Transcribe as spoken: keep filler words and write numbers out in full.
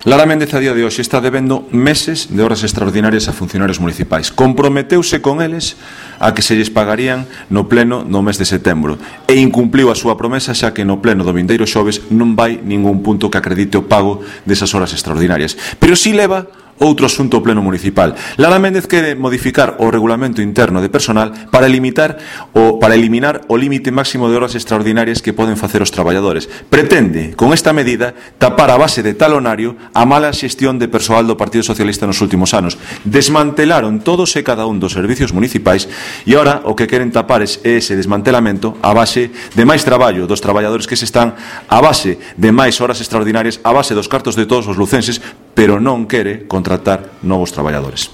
Lara Méndez a día de hoxe está debendo meses de horas extraordinarias a funcionarios municipais. Comprometeuse con eles a que se lles pagarían no pleno no mes de setembro e incumpliu a súa promesa, xa que no pleno do vindeiro xoves non vai ningún punto que acredite o pago desas horas extraordinarias. Pero si leva outro asunto ao pleno municipal. Lara Méndez quere modificar o regulamento interno de personal para limitar o para eliminar o límite máximo de horas extraordinarias que poden facer os traballadores. Pretende, con esta medida, tapar a base de talonario a mala xestión de persoal do Partido Socialista nos últimos anos. Desmantelaron todos e cada un dos servicios municipais e ora o que queren tapar é ese desmantelamento a base de máis traballo dos traballadores que se están, a base de máis horas extraordinarias, a base dos cartos de todos os lucenses, pero non quere contratar novos traballadores.